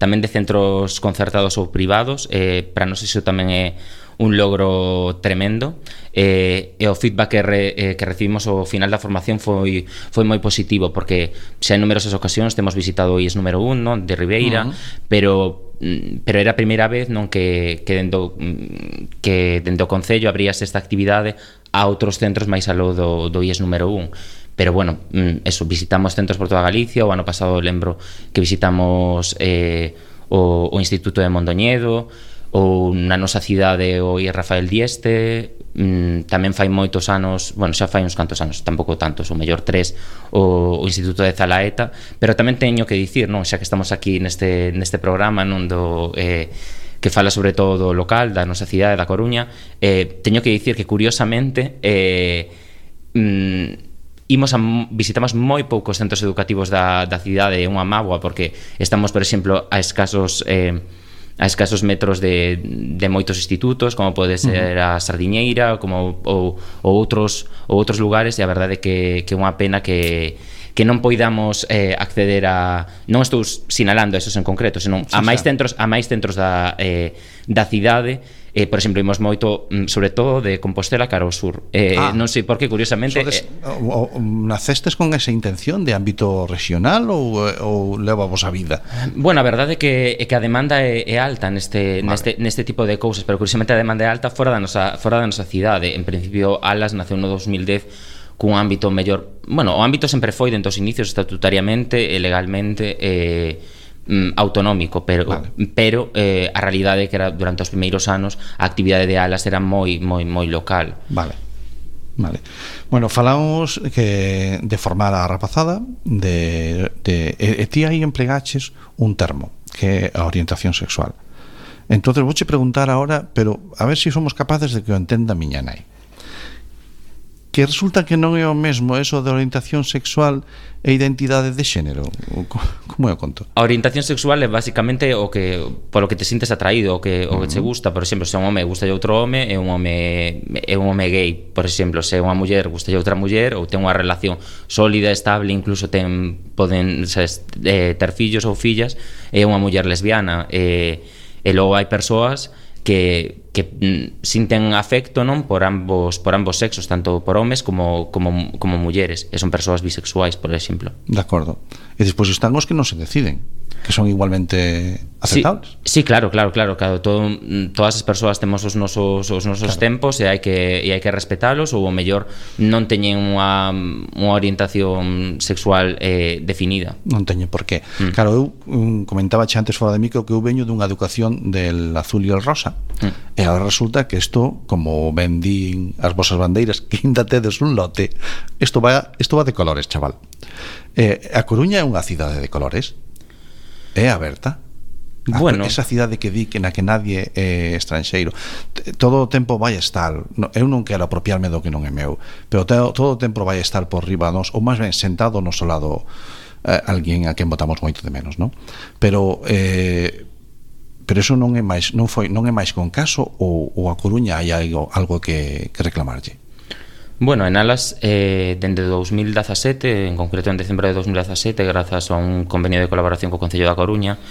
Tamén de centros concertados ou privados. Para nós iso tamén é un logro tremendo, e o feedback que recibimos ao final da formación foi moi positivo, porque xa en numerosas ocasións temos visitado o IES número 1, non, de Ribeira, pero era a primeira vez, non, que dentro o Concello abríase esta actividade a outros centros máis aló do IES número 1. Pero eso, visitamos centros por toda Galicia. O ano pasado lembro que visitamos o Instituto de Mondoñedo, ou na nosa cidade o IES Rafael Dieste, tamén fai moitos anos, bueno, xa fai uns cantos anos, tampouco tantos, o mellor 3, o Instituto de Zalaeta, pero tamén teño que dicir, non, xa que estamos aquí neste programa, non do que fala sobre todo do local, da nosa cidade, da Coruña, teño que dicir que curiosamente visitamos moi poucos centros educativos da cidade, é unha mágoa, porque estamos, por exemplo, a escasos metros de moitos institutos, como pode ser a Sardiñeira, como ou outros lugares, e a verdade é que é unha pena que non poidamos acceder a, non estou sinalando esos en concreto, senón a máis centros da cidade. Por exemplo, imos moito, sobre todo, de Compostela cara ao sur. Non sei por que, curiosamente... Nacestes con esa intención de ámbito regional ou leva vos a vida? Bueno, a verdade é que a demanda é alta neste tipo de cousas, pero curiosamente a demanda é alta fora da nosa cidade. En principio, Alas naceu no 2010 cun ámbito mellor... Bueno, o ámbito sempre foi, dentro dos inicios, estatutariamente e legalmente... autonómico, pero a realidade é que era durante os primeiros anos a actividade de Alas era moi local. Vale. Bueno, falamos que de formar a rapazada e ti aí emplegaches un termo que é a orientación sexual. Entonces vouche preguntar ahora, pero a ver se somos capaces de que o entenda a miña nai, que resulta que non é o mesmo eso de orientación sexual e identidade de xénero. Como é o conto? A orientación sexual é basicamente o que polo que te sintes atraído, o que te gusta. Por exemplo, se un home gusta de outro home, é un home gay. Por exemplo, se unha muller gusta de outra muller, ou ten unha relación sólida, estable, incluso poden ter fillos ou fillas, é unha muller lesbiana. E logo hai persoas que sinten afecto, non, por ambos sexos, tanto por homes como mulleres, e son persoas bisexuais, por exemplo. De acordo. E despois están os que non se deciden, que son igualmente aceptables. Sí, claro. Todas as persoas temos os nosos tempos e hai que respetalos, ou o mellor non teñen unha orientación sexual definida. Non teñen por qué. Claro, eu comentaba antes fora de micro que eu veño dunha educación del azul e el rosa, e agora resulta que isto, como ben din as vosas bandeiras, que ainda tedes un lote, isto va de colores, chaval. A Coruña é unha cidade de colores, é aberta. Bueno, esa cidade que di que na que nadie é estranxeiro, todo o tempo vai estar, eu non quero apropiarme do que non é meu, pero todo o tempo vai estar por riba nos, ou máis ben sentado no noso lado, alguén a quen botamos moito de menos, non? Pero eso non é máis con caso, ou a Coruña hai algo que reclamarlle? Bueno, en Alas, dende 2017, en concreto en decembro de 2017, grazas a un convenio de colaboración co Concello da Coruña,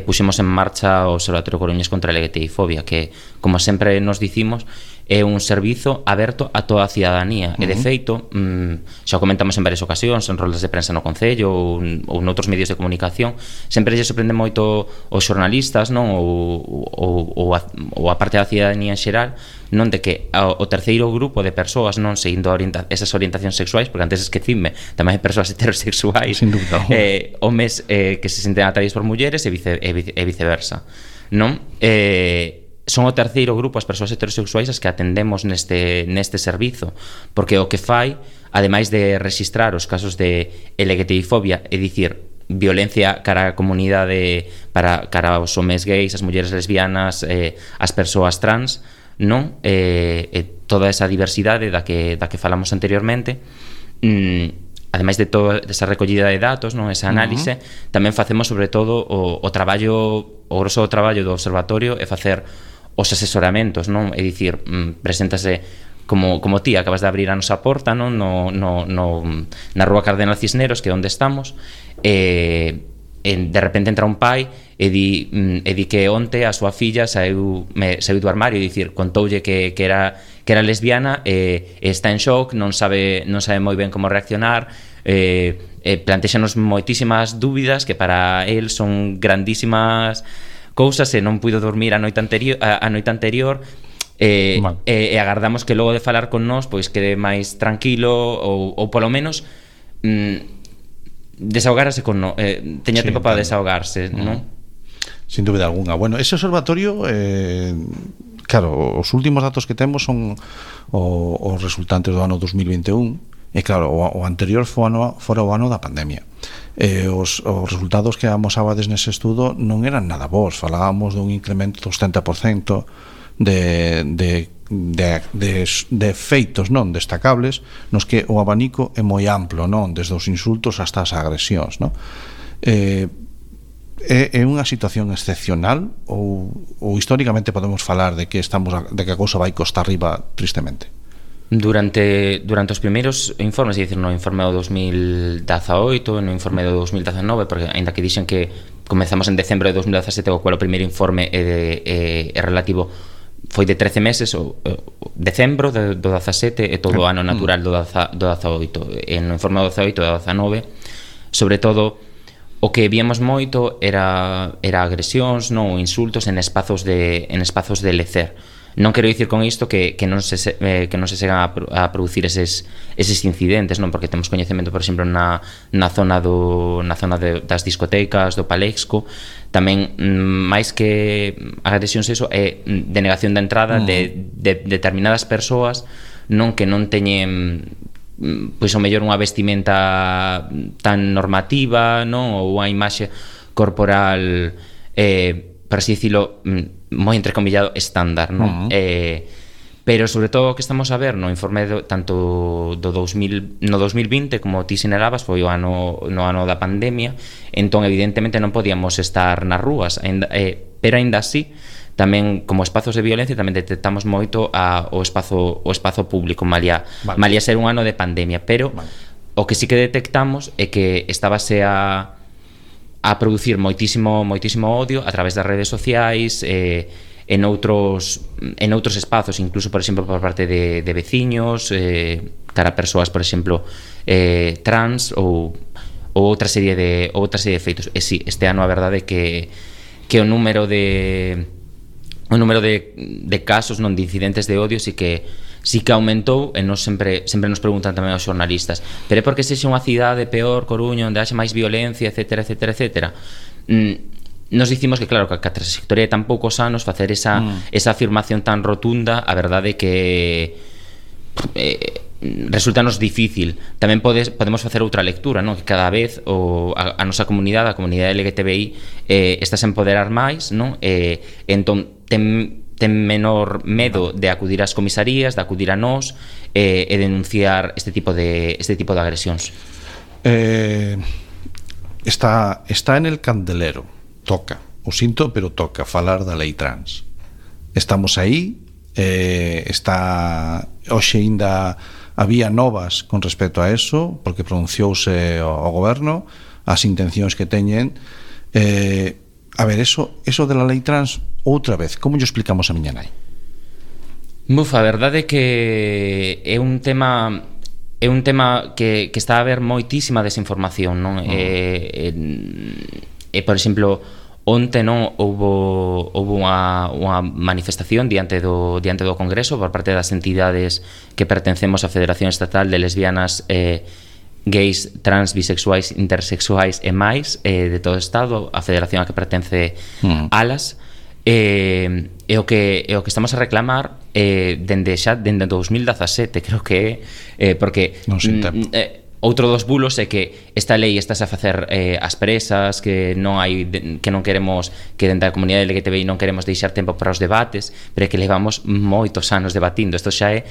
puxemos en marcha o Observatorio Coruñés contra a LGTBI-fobia, que, como sempre nos dicimos, é un servizo aberto a toda a cidadanía. E, de feito, xa o comentamos en varias ocasións, en roldas de prensa no Concello ou noutros medios de comunicación, sempre lle sorprende moito os xornalistas, non, ou a parte da cidadanía en xeral, non, de que o terceiro grupo de persoas, non, seguindo esas orientacións sexuais, porque antes esquecime, tamén hai persoas heterosexuais, homes que se senten atraídos por mulleres e viceversa, non? Son o terceiro grupo as persoas heterosexuais as que atendemos neste servizo, porque o que fai, ademais de registrar os casos de LGTBI-fobia, é dicir, violencia cara a comunidade, cara aos homes gays, as mulleres lesbianas, as persoas trans, non? Toda esa diversidade da que falamos anteriormente, ademais de toda esa recollida de datos, non, esa análise, tamén facemos sobre todo o grosso do traballo do observatorio é facer os asesoramentos, non? É dicir, preséntase como ti acabas de abrir a nosa porta, non, na rúa Cardenal Cisneros, que é onde estamos, de repente entra un pai e di que onte a súa filla saiu do armario, e dicir, contoulle que era lesbiana, está en shock, non sabe moi ben como reaccionar, plantexanos moitísimas dúbidas que para el son grandísimas cousas, e non puido dormir a noite anterior, e agardamos que logo de falar con nós pois quede máis tranquilo, ou polo menos desahogarse con nós, teña tempo para desahogarse, non? Sin dúbida alguna. Bueno, ese observatorio claro, os últimos datos que temos son os resultantes do ano 2021, e claro, o anterior fora o ano da pandemia. Os resultados que amosabades nese estudo non eran nada bons. Falábamos dun incremento do 70% de feitos non destacables, nos que o abanico é moi amplo, non, desde os insultos hasta as agresións, non? É unha situación excepcional ou históricamente podemos falar de que a cousa vai costa arriba tristemente? Durante os primeiros informes, é dicir, no informe do 2018, no informe do 2019, porque ainda que dixen que comezamos en decembro de 2017, o cual o primeiro informe é relativo, foi de 13 meses, o decembro do 17 e todo o ano natural do 18. E no informe do 18 e do 19, sobre todo, o que víamos moito era agresións, non, ou insultos en espazos de lecer. Non quero dicir con isto que non se chegan a producir eses incidentes, non, porque temos coñecemento, por exemplo, na zona das discotecas do Palexco, tamén máis que agresións, eso é denegación da entrada de determinadas persoas, non, que non teñen pois o mellor unha vestimenta tan normativa, non, ou unha imaxe corporal por así dicilo moi entrecomillado estándar, non? Pero sobre todo o que estamos a ver no informe tanto no 2020 como ti sinalabas foi no ano da pandemia, entón evidentemente non podíamos estar nas rúas, pero aínda así tamén como espazos de violencia tamén detectamos moito o espazo público, malia ser un ano de pandemia, pero o que sí que detectamos é que estábase a producir moitísimo odio a través das redes sociais, en outros espazos, incluso, por exemplo, por parte de veciños, cara a persoas, por exemplo, trans ou outra serie de feitos. E si, este ano a verdade é que o número de casos, non, de incidentes de odio sí que aumentou, e nos sempre nos preguntan tamén aos xornalistas, pero é porque sexa unha cidade peor, Coruña, onde haxe máis violencia, etcétera. Nos dicimos que claro, que a trayectoria de tan poucos anos facer esa afirmación tan rotunda, a verdade é que resultanos difícil. Tamén podemos facer outra lectura, non? Que cada vez a nosa comunidade, a comunidade LGTBI, está a empoderar máis, non? Entón ten menor medo de acudir ás comisarías, de acudir a nós e denunciar este tipo de agresións. Está en el candelero, toca, o sinto, pero toca falar da lei trans. Estamos aí, hoxe ainda había novas con respecto a eso, porque pronunciouse o goberno, as intencións que teñen. A ver, eso de la lei trans, outra vez, como lle explicamos a miña nai? A verdade é que é un tema que está a haber moitísima desinformación, non? Por exemplo, onte non houbo unha manifestación diante do Congreso por parte das entidades que pertencemos á Federación Estatal de Lesbianas, gays, trans, bisexuais, intersexuais e máis de todo o Estado, a federación a que pertence ALAS, e o que estamos a reclamar dende 2017, creo que porque outro dos bulos é que esta lei estás a facer as presas, que non queremos, que dentro da comunidade LGTBI non queremos deixar tempo para os debates, pero é que levamos moitos anos debatindo. Isto xa é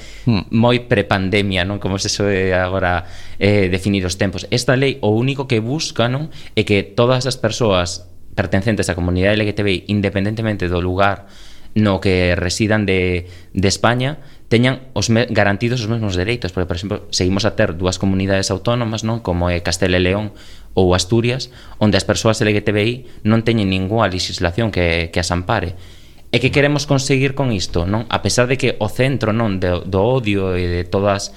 moi prepandemia, non? Como se soe agora definir os tempos. Esta lei o único que busca, non, é que todas as persoas pertencentes á comunidade LGTBI, independentemente do lugar no que residan de España, teñan garantidos os mesmos dereitos, porque, por exemplo, seguimos a ter dúas comunidades autónomas, non, como é Castela e León ou Asturias, onde as persoas LGTBI non teñen ninguna legislación que as ampare. E que queremos conseguir con isto, non? A pesar de que o centro, non, do odio e de todas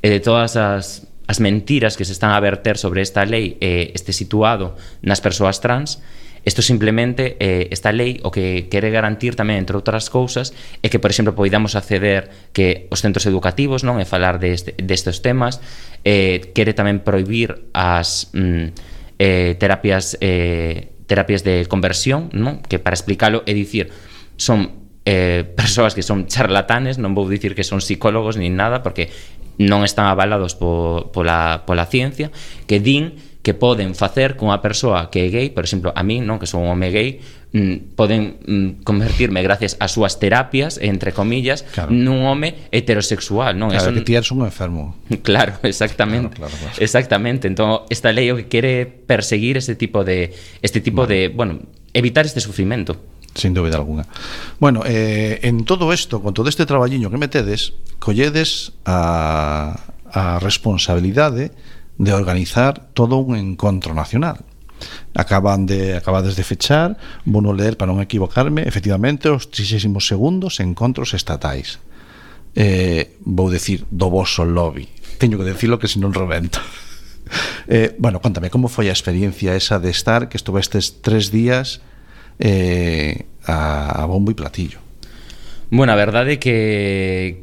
as mentiras que se están a verter sobre esta lei este situado nas persoas trans, isto simplemente, esta lei o que quere garantir tamén, entre outras cousas, é que, por exemplo, poidamos acceder que os centros educativos, non, e falar destes temas, quere tamén prohibir as terapias de conversión, non, que para explicalo é dicir, son persoas que son charlatanes, non vou dicir que son psicólogos nin nada, porque non están avalados pola ciencia, que din que poden facer con unha persoa que é gay, por exemplo, a mí, non, que son un home gay, poden convertirme gracias ás súas terapias, entre comillas, claro, nun home heterosexual, non? Claro, que ti eres un enfermo. Claro, exactamente. Claro. Exactamente. Entón, esta lei o que quere perseguir este tipo de bueno, evitar este sufrimento. Sin dúbida alguna. Bueno, en todo isto, con todo este traballiño que metedes, colledes a responsabilidade de organizar todo un encontro nacional. Acabades de fechar, vou non ler para non equivocarme, efectivamente, os 32º encontros estatais. Vou decir do voso lobby. Teño que decirlo que se non rebento. Bueno, contame, como foi a experiencia esa de estar, que estuvestes 3 días a bombo e platillo? Bueno, a verdade que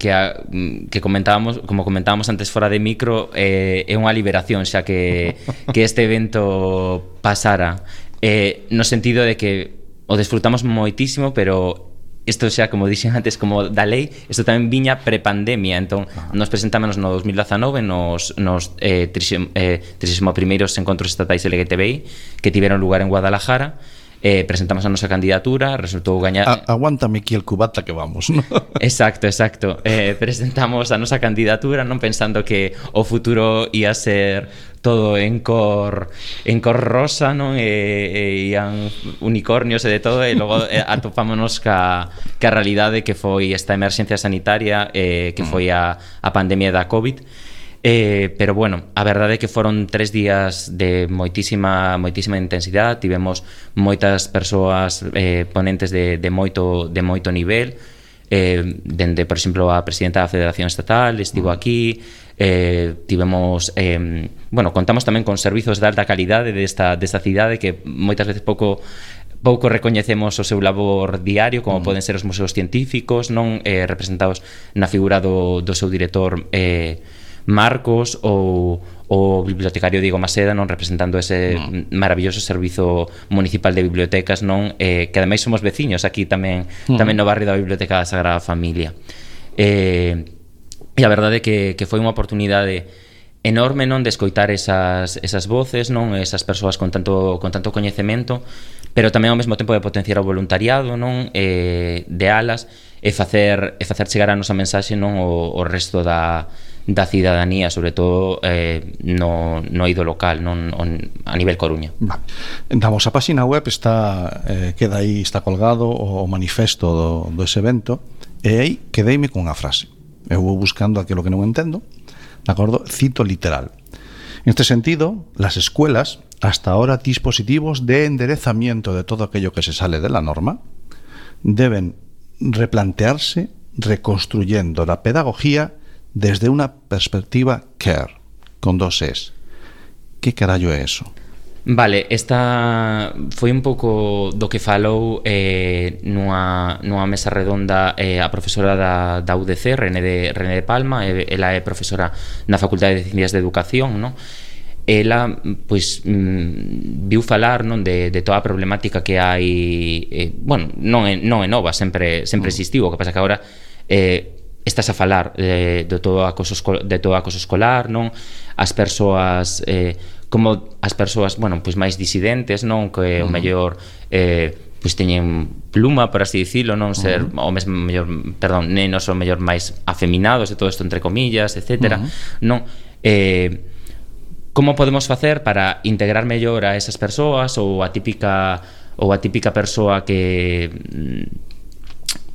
comentábamos, como comentábamos antes fora de micro, é unha liberación xa que este evento pasara, no sentido de que o desfrutamos moitísimo, pero isto xa, como dixen antes, como da lei, isto tamén viña prepandemia. Entón, nos presentámonos no 2019 nos 31º encontros estatais LGTBI que tiveron lugar en Guadalajara. Presentamos a nosa candidatura, resultou gañar... Aguántame aquí el cubata que vamos, ¿no? Exacto. Presentamos a nosa candidatura, non pensando que o futuro ia ser todo en cor rosa, non? E ian unicornios e de todo, e logo atopámonos ca realidade que foi esta emerxencia sanitaria, que foi a pandemia da COVID. Pero bueno, a verdade é que foron 3 días de moitísima intensidade. Tivemos moitas persoas ponentes de moito nivel, dende, por exemplo, a presidenta da Federación Estatal estivo aquí. Tivemos contamos tamén con servizos de alta calidade desta cidade que moitas veces pouco recoñecemos o seu labor diario, como poden ser os museos científicos, non representados na figura do seu director Marcos, ou o bibliotecario Diego Maseda, non, representando ese maravilloso servizo municipal de bibliotecas, non, que ademais somos veciños aquí tamén no barrio da Biblioteca da Sagrada Familia. E a verdade é que foi unha oportunidade enorme, non, de escoitar esas voces, non, esas persoas con tanto coñecemento, pero tamén ao mesmo tempo de potenciar o voluntariado, non, de alas, e facer chegar a nosa mensaxe, non, o resto da cidadanía, sobre todo no eido local, non, a nivel Coruña. Vale. Damos a página web, queda aí, está colgado o manifesto do ese evento, e aí quedeime con unha frase. Eu vou buscando aquilo que non entendo, de acordo? Cito literal. En este sentido, las escuelas, hasta ahora dispositivos de enderezamiento de todo aquello que se sale de la norma, deben replantearse reconstruyendo la pedagogía desde una perspectiva care, con 2 es. Que carallo é eso? Vale, esta foi un pouco do que falou nunha mesa redonda a profesora da UDC, René de Palma. Ela é profesora na Facultade de Ciencias de Educación, non? Ela, pois, viu falar, non, de toda a problemática que hai, bueno, non é nova, sempre existiu. O que pasa que agora estás a falar de todo o acoso escolar, non? As persoas, como as persoas, bueno, pois máis disidentes, non? Que o mellor pois teñen pluma, por así dicilo, non? Ser o mesmo mellor, perdón, nenos o mellor máis afeminados, e todo isto entre comillas, etcétera, non? Como podemos facer para integrar mellor a esas persoas, ou a típica persoa que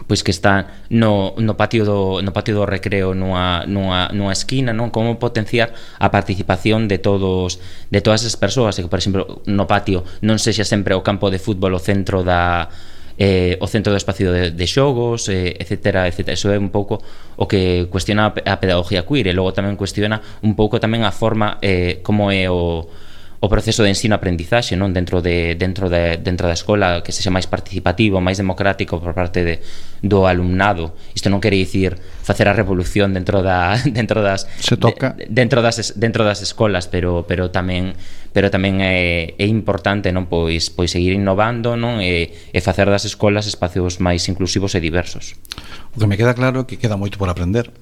pois que está no patio do recreo nunha esquina, non? Como potenciar a participación de todas esas persoas, e que, por exemplo, no patio non sexa sempre o campo de fútbol o centro do espacio de xogos, etcétera. Eso é un pouco o que cuestiona a pedagogía queer, e logo tamén cuestiona un pouco tamén a forma como é o proceso de ensino-aprendizaxe, non, dentro da escola, que sexa máis participativo, máis democrático por parte do alumnado. Isto non quere dicir facer a revolución dentro das escolas, pero tamén é importante, non, pois seguir innovando, non, e facer das escolas espacios máis inclusivos e diversos. O que me queda claro é que queda moito por aprender.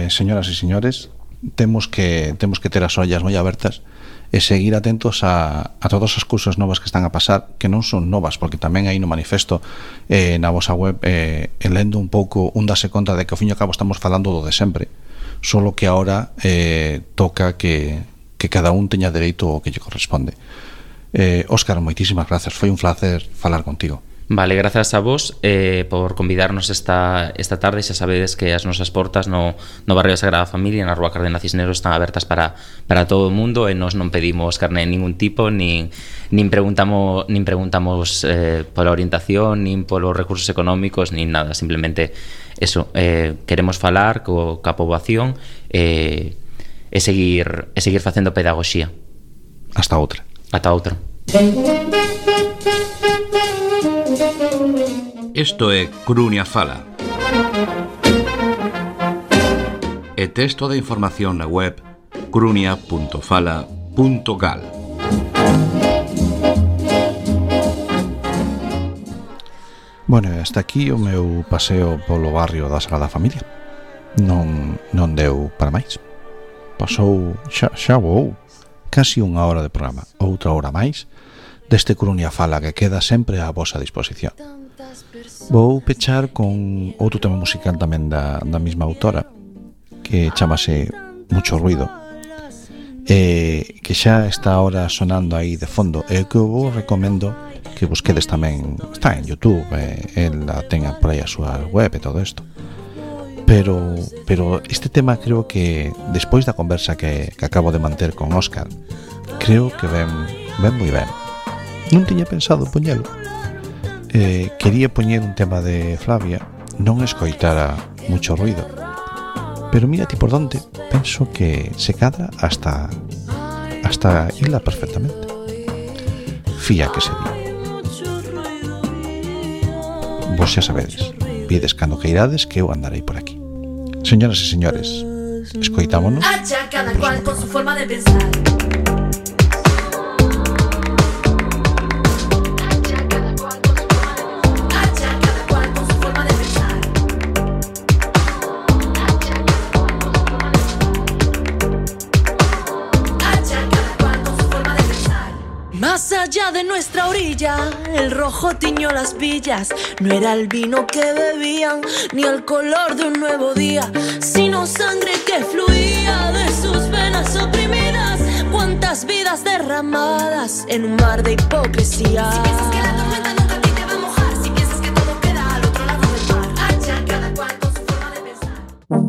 Señoras e señores, temos que ter as ollas moi abertas e seguir atentos a todas as cousas novas que están a pasar, que non son novas, porque tamén aí no manifesto, na vosa web, lendo un pouco, un dase conta de que ao fin e ao cabo estamos falando do de sempre, solo que agora toca que cada un teña dereito ao que lle corresponde. Óscar, moitísimas grazas, foi un placer falar contigo. Vale, grazas a vos por convidarnos esta tarde. Xa sabedes que as nosas portas no barrio da Sagrada Familia, na Rúa Cardenal Cisneros, están abertas para todo o mundo, e nós non pedimos carné de ningún tipo, nin preguntamos pola orientación, nin polos recursos económicos, nin nada. Simplemente eso, queremos falar coa poboación e seguir facendo pedagogía. Hasta outra. Ata outra. Isto é Coruña Fala. E texto de información na web coruña.fala.gal. Bueno, hasta aquí o meu paseo polo barrio da Sagrada Familia. Non deu para máis. Pasou xa voou casi unha hora de programa, outra hora máis deste Coruña Fala, que queda sempre á vosa disposición. Vou pechar con outro tema musical tamén da mesma autora, que chamase Mucho Ruido, que xa está ahora sonando aí de fondo, e que eu vos recomendo que busquedes tamén. Está en YouTube, ela ten por aí a súa web e todo isto. Pero este tema creo que despois da conversa que acabo de manter con Óscar, creo que ven moi ben. Non tiña pensado poñelo. Quería poñer un tema de Flavia, non escoitara Mucho Ruido, pero mira ti por donde, penso que se cadra hasta hila perfectamente. Fía que se di. Vos xa sabedes, pides cando que irades que eu andarei por aquí. Señoras e señores, escoitámonos. Hacha cada cual con su forma de pensar. Más allá de nuestra orilla, el rojo tiñó las villas. No era el vino que bebían, ni el color de un nuevo día, sino sangre que fluía de sus venas oprimidas. Cuántas vidas derramadas en un mar de hipocresía. Si piensas que la tormenta